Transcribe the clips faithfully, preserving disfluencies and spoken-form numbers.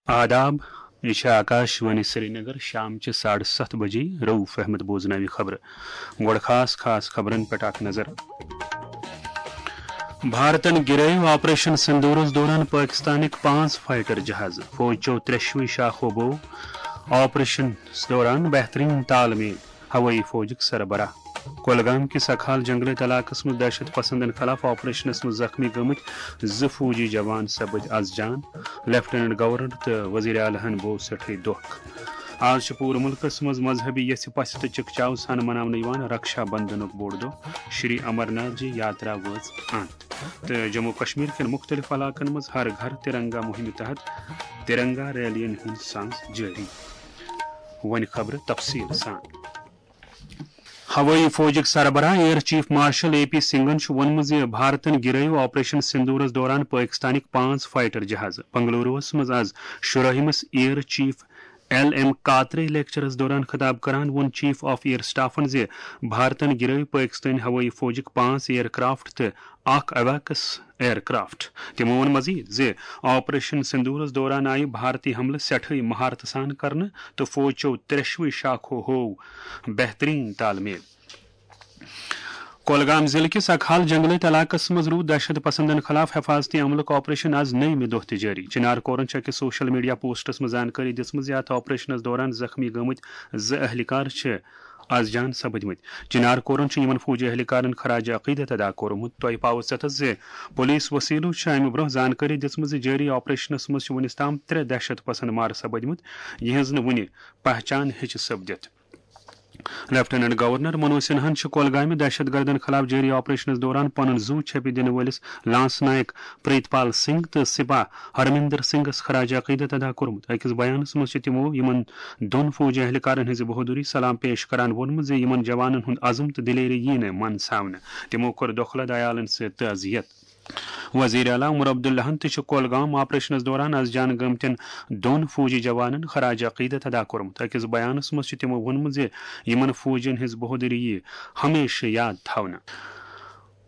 آداب، یہِ چھِ آکاش وانی سرینگر، شام چہِ ساڑٕ ستھ بجے۔ رؤف احمد بوزناوِ خبرٕ۔ گۄڈٕ خاص خاص خبرن پٮ۪ٹھ اکھ نظر۔ بھارتن گِرٲوۍ آپریشن سندورس دوران پٲکستانٕکۍ پانٛژھ فائٹر جہاز، فوج چیو ترٛٮ۪شوٕے شاخو بوو آپریشنس دوران بہترین تال میل۔ ہوٲیی فوجٕکۍ سربراہ۔ کۄلگام کِس اکھال جنگلٲتۍ علاقس منٛز دہشت پسندن خلاف آپریشنس منٛز زخمی گٔمٕتۍ زٕ فوجی جوان سپٕدۍ از جان۔ لیفٹیننٹ گورنر تہٕ وزیر اعلیٰ ہن بوو سٮ۪ٹھٕے دۄکھ۔ آز چھُ پوٗرٕ مُلکس منٛز مذہبی یژھِ پژھِ تہٕ چکچاو سان مناونہٕ یِوان رکشا بندھنُک بوٚڑ دۄہ۔ شری امرناتھ جی یاترا وٲژ انت، تہٕ جموں کشمیر کٮ۪ن مُختٔلِف علاقن منٛز ہر گھر ترنگا مُہِمہِ تحت ترنگا ریلین ہُنٛد سانز جٲری۔ وۄنۍ خبرٕ تفصیٖل سان۔ ہوٲیی فوجٕکۍ سربراہ air chief marshal A P سنگھن چھُ ووٚنمُت زِ بھارتن گِرٲوۍ آپریشن سندورس دوران پٲکستانٕکۍ پانٛژھ فائٹر جہاز۔ بنگلوروَس منٛز آز شُراہمِس air chief L M Katre lectures دوران خطاب کران ووٚن چیف آف ایئر سٹافن زِ بھارتن گِرٲوۍ پٲکستٲنۍ ہوٲیی فوجٕکۍ پانٛژھ ایئر کرافٹ تہٕ اکھ اویکس ایئر کرافٹ۔ تِمو ووٚن مزید زِ آپریشن سندورس دوران آیہِ بھارتی حملہٕ سٮ۪ٹھٕے مہارتہٕ سان کرنہٕ تہٕ فوج چیو ترٛٮ۪شوٕے شاخو ہوو بہترین تال میل۔ کۄلگام ضلعہٕ کِس اکھال جنگلٲتۍ علاقس منٛز روٗد دہشت پسندن خلاف حفاظتی عملُک آپریشن آز نٔیمہِ دۄہ تہِ جٲری۔ چنار کورن چھُ أکِس سوشل میڈیا پوسٹس منٛز زانکٲری دِژمٕژ زِ اتھ آپریشنس دوران زخمی گٔمٕتۍ زٕ اہلکار چھِ از جان سپٕدمٕتۍ۔ چنار کورن چھُ یِمن فوجی اہلکارن خراج عقیدت ادا کوٚرمُت۔ تۄہہِ پاوو ژٮ۪تس زِ پولیس وسیلو چھِ امہِ برونٛہہ زانکٲری دِژمٕژ زِ جٲری آپریشنس منٛز چھِ وُنِس تام ترٛےٚ دہشت پسند مارٕ سپٕدمٕتۍ، یِہنٛز نہٕ وُنہِ پہچان ہیٚچہِ سپدِتھ۔ لیفٹیننٹ گورنر منوج سنہاہن چھُ کۄلگامہِ دہشت گردن خلاف جٲری آپریشنس دوران پنُن زُو چھپہِ دِنہٕ وٲلِس لانس نائک پریت پال سنگھ تہٕ سپاہ ہرمندر سنگھس خراج عقیدت ادا کوٚرمُت۔ أکِس بیانس منٛز چھِ تِمو یِمن دۄن فوجی اہلکارن ہٕنٛز بہادری سلام پیش کران ووٚنمُت زِ یِمن جوانن ہُنٛد عزم تہٕ دلیری یی نہٕ منٛد ژھاونہٕ۔ تِمو کوٚر دۄکھلہٕ عیالن سۭتۍ تعزیت۔ وزیر اعلیٰ عمر عبداللہن تہِ چھُ کۄلگام آپریشنس دوران از جان گٔمتٮ۪ن دۄن فوجی جوانن خراج عقیدت ادا کوٚرمُت۔ أکِس بیانس منٛز چھُ تِمو ووٚنمُت زِ یِمن فوجین ہٕنٛز بہادری یی ہمیشہٕ یاد تھاونہٕ۔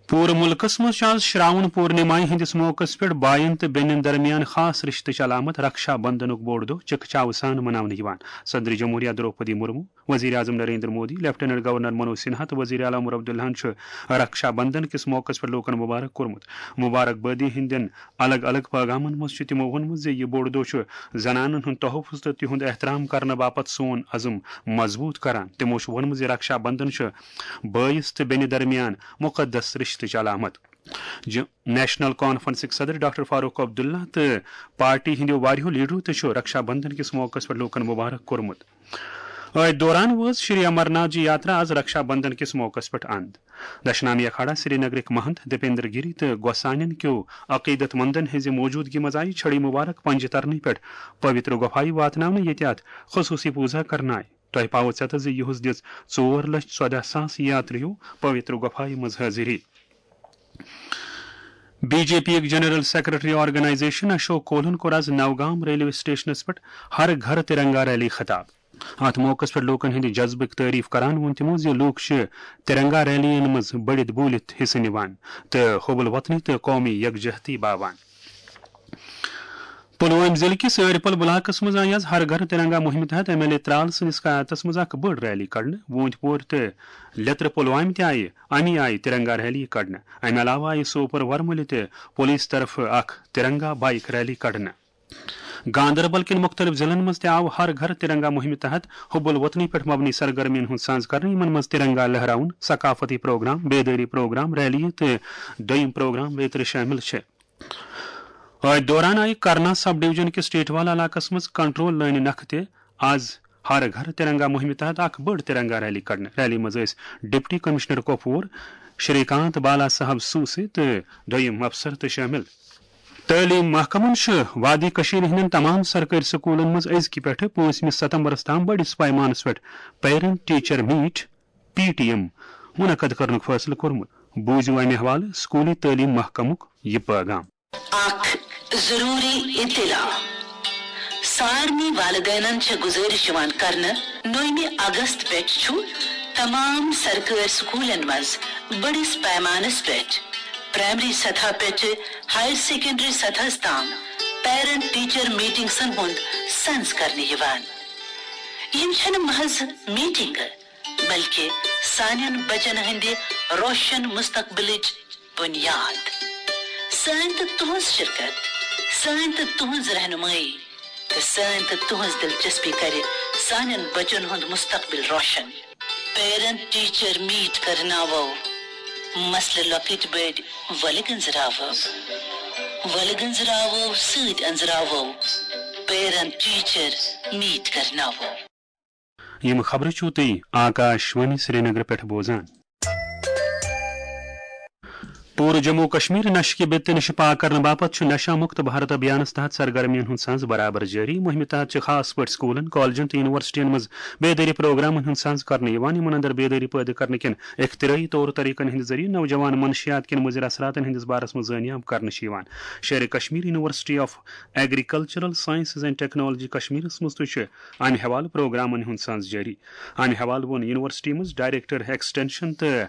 پوٗرٕ مُلکَس منٛز چھُ آز شراون پورنماہہِ ہٕنٛدِس موقعس پٮ۪ٹھ باین تہٕ بیٚنٮ۪ن درمیان خاص رشتٕچ علامت رکشا بندھنُک بوٚڑ دۄہ چکچاوٕ سان مناونہٕ یِوان۔ صدر جمہوریہ درٛوپدی مرمو، وزیر اعظم نریندر مودی، لیفٹیننٹ گورنر منوج سنہا تہٕ وزیر اعلیٰ عمر عبداللہن چھُ رکشا بندھن کِس موقعس پٮ۪ٹھ لوٗکن مبارک کوٚرمُت۔ مبارک بٲدی ہٕنٛدٮ۪ن الگ الگ پیغامن منٛز چھُ تِمو ووٚنمُت زِ یہِ بوٚڑ دۄہ چھُ زنانن ہُنٛد تحفظ تہٕ تِہُنٛد احترام کرنہٕ باپتھ سون عزم مضبوٗط کران۔ تِمو چھُ ووٚنمُت زِ رکشا بندھن چھُ بٲیِس تہٕ بیٚنہِ درمیان مُقدس رِشتٕچ علامت۔ ج-، نیشنل کانفرنسٕکۍ صدر ڈاکٹر فاروق عبداللہ تہٕ پارٹی ہٕنٛدیو واریاہو لیڈرو تہِ چھُ رکشا بندھن کِس موقعس پٮ۪ٹھ لوٗکن مبارک کوٚرمُت۔ أتھۍ دوران وٲژ شری امرناتھ جی یاترا آز رکشا بندھن کِس موقعس پٮ۪ٹھ اند۔ دشنامی اکھاڑا سرینگرٕکۍ مہنت دیپیندر گیری تہٕ گۄسانٮ۪ن کیو عقیدت مندن ہٕنٛزِ موجودگی منٛز آیہِ چھڑی مبارک پنجہِ ترنہٕ پٮ۪ٹھ پویتر گۄپھایہِ واتناونہٕ، ییٚتہِ اتھ خصوٗصی پوٗزا کرنہٕ آیہِ۔ تۄہہِ پاوو ژٮ۪تس زِ یُہُس دِژ ژور لچھ ژۄدہ ساس یاتریو پویتر گۄپھایہِ منٛز حٲضری۔ بی جے پی یُک جنرل سیکرٹری آرگنائزیشن اشوک کولہن کوٚر آز نوگام ریلوے سٹیشنس پٮ۪ٹھ ہر گھر ترنگا ریلی خطاب۔ اتھ موقعس پٮ۪ٹھ لوٗکن ہٕنٛدِ جذبٕک تعریف کران ووٚن تِمو زِ لوٗکھ چھِ ترنگا ریلیَن منٛز بٔڑِتھ بوٗلِتھ حصہٕ نِوان تہٕ حب الوطنی تہٕ قومی یکجہتی باوان۔ پلوامہ ضلعہٕ کِس ٲرپل بلاکس منٛز آیہِ آز ہر گھر ترنگا مُہِمہِ تحت ایم ایل اے ترال سٕنٛدِس قیادتس منٛز اکھ بٔڑ ریلی کڑنہٕ۔ ووٗنٛتۍ پورِ تہٕ لیترٕ پلوامہِ تہِ آیہِ اَمی آیہِ ترنگا ریلی کڑنہٕ۔ اَمہِ علاوٕ آیہِ سوپور ورمُلہِ تہِ پولیس طرفہٕ اکھ ترنگا بائیک ریلی کڑنہٕ۔ گاندربل کٮ۪ن مُختٔلِف ضلعن منٛز تہِ آو ہر گھر ترنگا مُہِمہِ تحت حب الوطنی پٮ۪ٹھ مبنی سرگرمین ہُنٛد سانز کرنہٕ، یِمن منٛز ترنگا لہراوُن، ثقافتی پروگرام، بیدٲری پروگرام، ریلی تہٕ دوٚیِم پروگرام بیترِ شٲمِل چھِ۔ أتھۍ دوران آیہِ کرنا سب ڈویژن کِس ٹیٹوال علاقس منٛز کنٹرول لٲنہِ نکھٕ تہِ آز ہر گھر ترنگا مُہِمہِ تحت اکھ بٔڑ ترنگا ریلی کڑنہٕ۔ ریلی منٛز ٲسۍ ڈپٹی کمشنر کۄپوور شری کانت بالا صاحب سوسے تہٕ دوٚیِم افسر تہِ شٲمِل۔ تعلیٖم محکمَن چھُ وادی کٔشیٖرِ ہٕنٛدٮ۪ن تمام سرکٲرۍ سکوٗلَن منٛز أزکہِ پٮ۪ٹھٕ پٲنٛژمہِ ستمبرَس تام بٔڑِس پیمانَس پٮ۪ٹھ parent teacher meet, P T M, منعقد کرنُک فٲصلہٕ کوٚرمُت۔ بوٗزِو اَمہِ حوالہٕ سکوٗلی تعلیٖم محکمُک یہِ پٲغام۔ اکھ ضروری اطلاع۔ سارنٕے والدینن چھےٚ گزٲرِش یِوان کرنہٕ، نومہِ اگست پٮ۪ٹھ چھُ تمام سرکٲرۍ سکوٗلن منٛز بٔڑِس پیمانس پٮ۪ٹھ پرائمری سطح پٮ۪ٹھٕ ہائر سیکنڈری سطحس تام پیرنٹ ٹیچر میٹنگسن ہُنٛد سنز کرنہٕ یِوان۔ یِم چھنہٕ محض میٹنگہٕ، بلکہ سانٮ۪ن بچن ہٕنٛدِ روشن مستقبلٕچ بنیاد۔ سٲنۍ تہٕ تُہنٛز شرکت، سٲنۍ تہٕ تُہنٛز رہنمٲیی تہٕ سٲنۍ تہٕ تُہنٛز دلچسپی کرِ سانٮ۪ن بچن ہُنٛد مستقبل روشن۔ پیرنٹ ٹیچر میٹ کرناوو، مسلہٕ لۄکٕٹۍ بٔڑۍ ولہٕ گٔنزراوو، ولہٕ گٔنزراوو سۭتۍ أنزراوو۔ پیرنٹ ٹیچر میٹ کرناوو۔ یِم خبرٕ چھِو تُہۍ آکاش وانی سرینگر پٮ۪ٹھ بوزان۔ پوٗرٕ جموں و کشمیر نشہٕ کہِ بِتہٕ نِش پاک کرنہٕ باپتھ چھُ نشہ مکت بھارت ابھیانس تحت سرگرمیَن ہُنٛد سنز برابر جٲری۔ مُہِمہِ تحت چھِ خاص پٲٹھۍ سکوٗلن، کالجن تہٕ یونیورسٹین منٛز بیدٲری پروگرامن ہُنٛد سنز کرنہٕ یِوان، یِمن اندر بیدٲری پٲدٕ کرنہٕ کٮ۪ن اختراعی طور طریقن ہٕنٛدِ ذٔریعہٕ نوجوان منشیات کٮ۪ن مُضر اثراتن ہٕنٛدِس بارس منٛز زٲنیاب کرنہٕ چھِ یِوان۔ Sher Kashmir university of agricultural sciences and technology کشمیرس منٛز تہِ چھُ امہِ حوالہٕ پروگرامن ہُنٛد سنز جٲری۔ امہِ حوالہٕ ووٚن یونیورسٹی منٛز ڈائریکٹر ایکسٹینشن تہٕ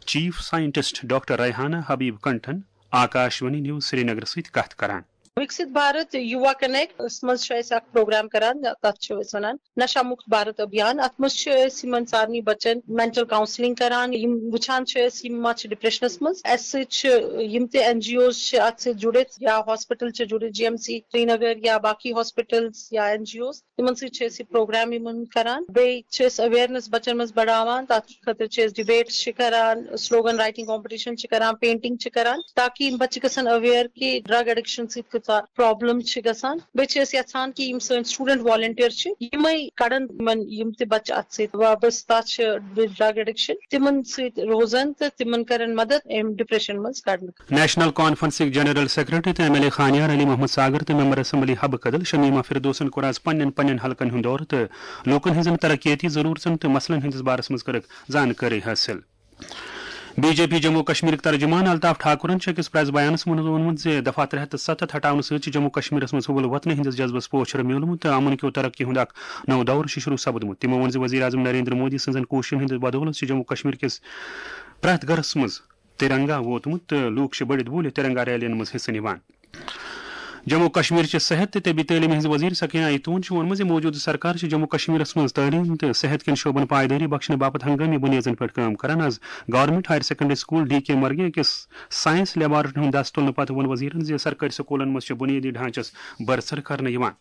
چیف سائنٹسٹ ڈاکٹر ریحانہ حبیب کنٹھن آکاش وانی نیوز سرینگر سۭتۍ کتھ کران۔ وِکسِت بھارت یُوا کنیکٹس منٛز چھُ اَسہِ اکھ پروگرام کران، تَتھ چھِ أسۍ وَنان نشہ مُکت بھارت ابھیان۔ اَتھ منٛز چھِ أسۍ یِمن سارنٕے بچن مینٹل کاؤنسلنگ کران، یِم وٕچھان چھِ أسۍ یِم ما چھِ ڈپریشنس منٛز۔ اَسہِ سۭتۍ چھِ یِم تہِ این جی اوز چھِ اَتھ سۭتۍ جُڑِتھ، یا ہاسپٹل چھِ جُڑِتھ، جی ایم سی سرینگر یا باقی ہاسپٹلز یا این جی اوز، تِمن سۭتۍ چھِ أسۍ یہِ پروگرام یِمن کران۔ بیٚیہِ چھِ أسۍ اویرنس بچن منٛز بڑاوان، تَتھ خٲطرٕ چھِ أسۍ ڈبیٹس چھِ کران، سلوگن رائٹنگ کمپٹیشن چھِ کران، پینٹنگ چھِ کران، تاکہ یِم بچہِ گژھن اویئر کہِ ڈرگ ایڈکشن سۭتۍ کۭژاہ پرابلم چھِ گژھان۔ بیٚیہِ چھِ أسۍ یژھان کہِ یِم سٲنۍ سٹوڈنٹ والنٹیئر چھِ، یِمے کڑن یِمن یِم تہِ بچہِ اتھ سۭتۍ وابستہ چھِ، ڈرگ ایڈکشن، تِمن سۭتۍ روزن تہٕ تِمن کرن مدد امہِ ڈپریشن منٛز کڑنہٕ۔ نیشنل کانفرنسٕکۍ جنرل سیکرٹری تہٕ M L A Khanyar Ali Mohammad Sagar تہٕ ممبر اسمبلی حبہٕ کدل شمیمہ فردوسن کوٚر آز پننٮ۪ن پننٮ۪ن حلقن ہُنٛد دورٕ تہٕ لوٗکن ہٕنٛزن ترقیتی ضروٗرژن تہٕ مسلن ہٕنٛدِس بارس منٛز کٔرٕکھ زانکٲری حٲصِل۔ بی جے پی جموں کشمیرٕکۍ ترجمان الطاف ٹھاکرن چھُ أکِس پریس بیانس منٛز ووٚنمُت زِ دفعہ ترٛےٚ ہتھ تہٕ ستتھ ہٹاونہٕ سۭتۍ چھُ جموں کشمیرس منٛز حُبل وطنی ہٕنٛدِس جذبس پوچھر میوٗلمُت تہٕ امن کیو ترقی ہُنٛد اکھ نوٚو دور چھُ شروع سپدمُت۔ تِمو ووٚن زِ وزیر اعظم نریندر مودی سٕنٛزن کوٗششن ہٕنٛدِس بدولس چھِ جموں کشمیر کِس پرٛٮ۪تھ گرس منٛز ترنگا ووتمُت تہٕ لوٗکھ چھِ بٔڑِتھ بوٗلِتھ ترنگا ریلین منٛز حصہٕ نِوان۔ جموں کشمیر چہِ صحت تہٕ طبی تعلیمہِ ہٕنٛز وزیر سکینہ ایتون چھُ ووٚنمُت زِ موجودٕ سرکار چھِ جموں کشمیرس منٛز تعلیٖم تہٕ صحت کٮ۪ن شعبن پایدٲری بخشنہٕ باپتھ ہنگٲمی بُنیٲدن پٮ۪ٹھ کٲم کران۔ از government higher secondary school D K مرگہِ أکِس سائنس لیبارٹری ہُنٛد دس تُلنہٕ پتہٕ ووٚن وزیرن زِ سرکٲرۍ سکولن منٛز چھِ بُنیٲدی ڈھانچس بٔڑ ژھر کرنہٕ یِوان۔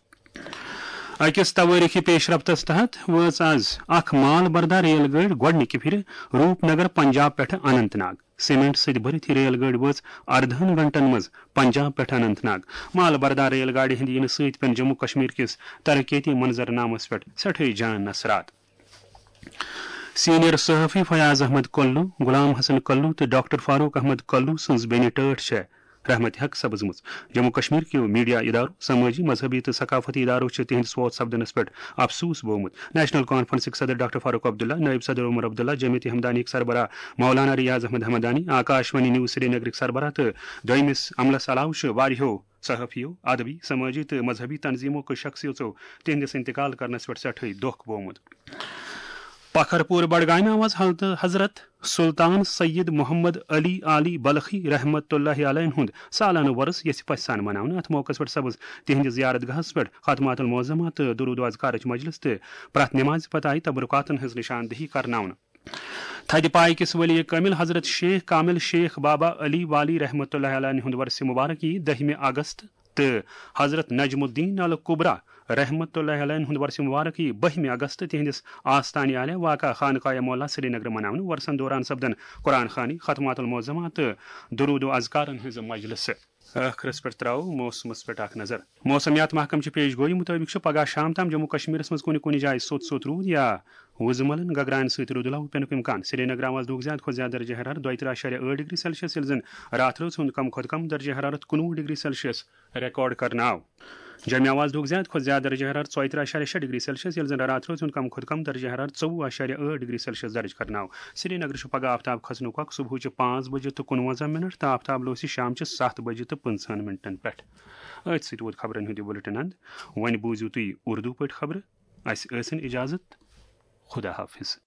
أکِس توٲریٖخی پیش رفتس تحت وٲژ از اکھ مال بردار ریل گٲڑۍ گۄڈٕنِکہِ پھِرِ روپ نگر پنجاب پٮ۪ٹھٕ اننت ناگ۔ سیمنٹ سۭتۍ بٔرِتھ یہِ ریل گٲڑۍ وٲژ اردہن گھنٹن منٛز پنجاب پٮ۪ٹھ اننت ناگ۔ مال بردار ریل گاڑِ ہٕنٛدِ یِنہٕ سۭتۍ پیٚن جموں کشمیر کِس ترقیتی منظرنامس پٮ۪ٹھ سٮ۪ٹھٕے جان اثرات۔ سینئر صحافی فیاض احمد کلو، غلام حسن کلو تہٕ ڈاکٹر فاروق احمد کلو سٕنٛز بیٚنہِ ٹٲٹھ چھےٚ رحمت حق سپٕزمٕژ۔ جموں کشمیر کیو میڈیا ادارو، سمٲجی، مذہبی تہٕ ثقافتی ادارو چھِ تِہنٛدِس فوت سپدنس پٮ۪ٹھ افسوس بوومُت۔ نیشنل کانفرنسٕکۍ صدر ڈاکٹر فاروق عبداللہ، نائب صدر عمر عبداللہ، جمعیت ہمدانیٕکۍ سربراہ مولانا ریاض احمد ہمدانی، آکاش وانی نیوز سرینگرٕکۍ سربراہ تہٕ دوٚیمِس عملس علاوٕ چھِ واریاہو صحافیو، ادبی، سمٲجی تہٕ مذہبی تنظیمو کیو شخصیژو تِہنٛدِس انتقال کرنس پٮ۪ٹھ سٮ۪ٹھٕے دۄکھ بوومُت۔ پکھر پور بڈگامہِ آو از حضرت سلطان سید محمد علی عالی بلخی رحمت اللہ علیہ ہُنٛد سالانہٕ وۄرُس یژھِ پژھِ سان مناونہٕ۔ اتھ موقعس پٮ۪ٹھ سپٕز تِہنٛدِ زیارت گاہس پٮ۪ٹھ ختمات المعظمہ تہٕ درود و اذکارٕچ مجلس تہٕ پرٛٮ۪تھ نمازِ پتہٕ آیہِ تبرکاتن ہٕنٛز نشاندہی کرناونہٕ۔ تھدِ پایہِ کِس ولی کٲمِل حضرت شیخ کامل شیخ بابا علی والی رحمت اللہ علیہ ہُنٛد ورثِ مبارک یی دٔہمہِ اگست تہٕ حضرت نجم الدین الکبریٰ رحمت اللہ علیہ ہُنٛد ورثِ مبارک یی بٔہمہِ اگست تِہنٛدِس آستانہِ اعلیٰ واقع خانقاہ مولا سرینگر مناونہٕ۔ ورثن دوران سپدن قرآن خوانی، ختمات المعظمہ تہٕ درود و اذکارن ہٕنٛز مجلسہٕ۔ ٲخرس پٮ۪ٹھ ترٛاوو موسمس پٮ۪ٹھ اکھ نظر۔ موسمیات محکمہٕ چہِ پیش گویی مُطٲبِق چھُ پگاہ شام تام جموں کشمیرس منٛز کُنہِ کُنہِ جایہِ سوٚت سوٚت روٗد یا وُزملن گگراین سۭتۍ رُدٕ لَو پینُک امکان۔ سرینگر آو آز دُہُک زیادٕ کھۄتہٕ زیادٕ درجہ حرارت دۄیہِ ترٕٛہ اعشاریہ ٲٹھ ڈگری سیلسیس، ییٚلہِ زن راتھ رٲژ ہُنٛد کم کھۄتہٕ کم درجہ حرارت کُنوُہ ڈگری سیلسیس ریکارڈ کرنہٕ آو۔ جوٚمہِ آو آز دُہُک زیادٕ کھۄتہٕ زیادٕ درجہ حرارت ژۄیہِ ترٕٛہ اعشاریہ شےٚ ڈگری سیلسیس، ییٚلہِ زن راتھ رٲژ ہُنٛد کم کھۄتہٕ کم درجہ حرارت ژوٚوُہ اعشاریہ ٲٹھ ڈگری سیلسیس درج کرنہٕ آو۔ سرینگرٕ چھُ پگاہ آفتاب کھسنُک وقت صبحٕچہِ پانٛژھ بجہِ تہٕ کُنوَنزاہ منٹ تہٕ آفتاب لوسہِ شامچہِ ستھ بجہِ تہٕ پٕنٛژٕہن منٹن پٮ۪ٹھ۔ أتھۍ سۭتۍ ووت خبرن ہُنٛد یہِ بُلٹن اند۔ وۄنۍ بوٗزِو تُہۍ اردو پٲٹھۍ خبرٕ۔ اسہِ ٲسِن اجازت۔ خدا حافظ۔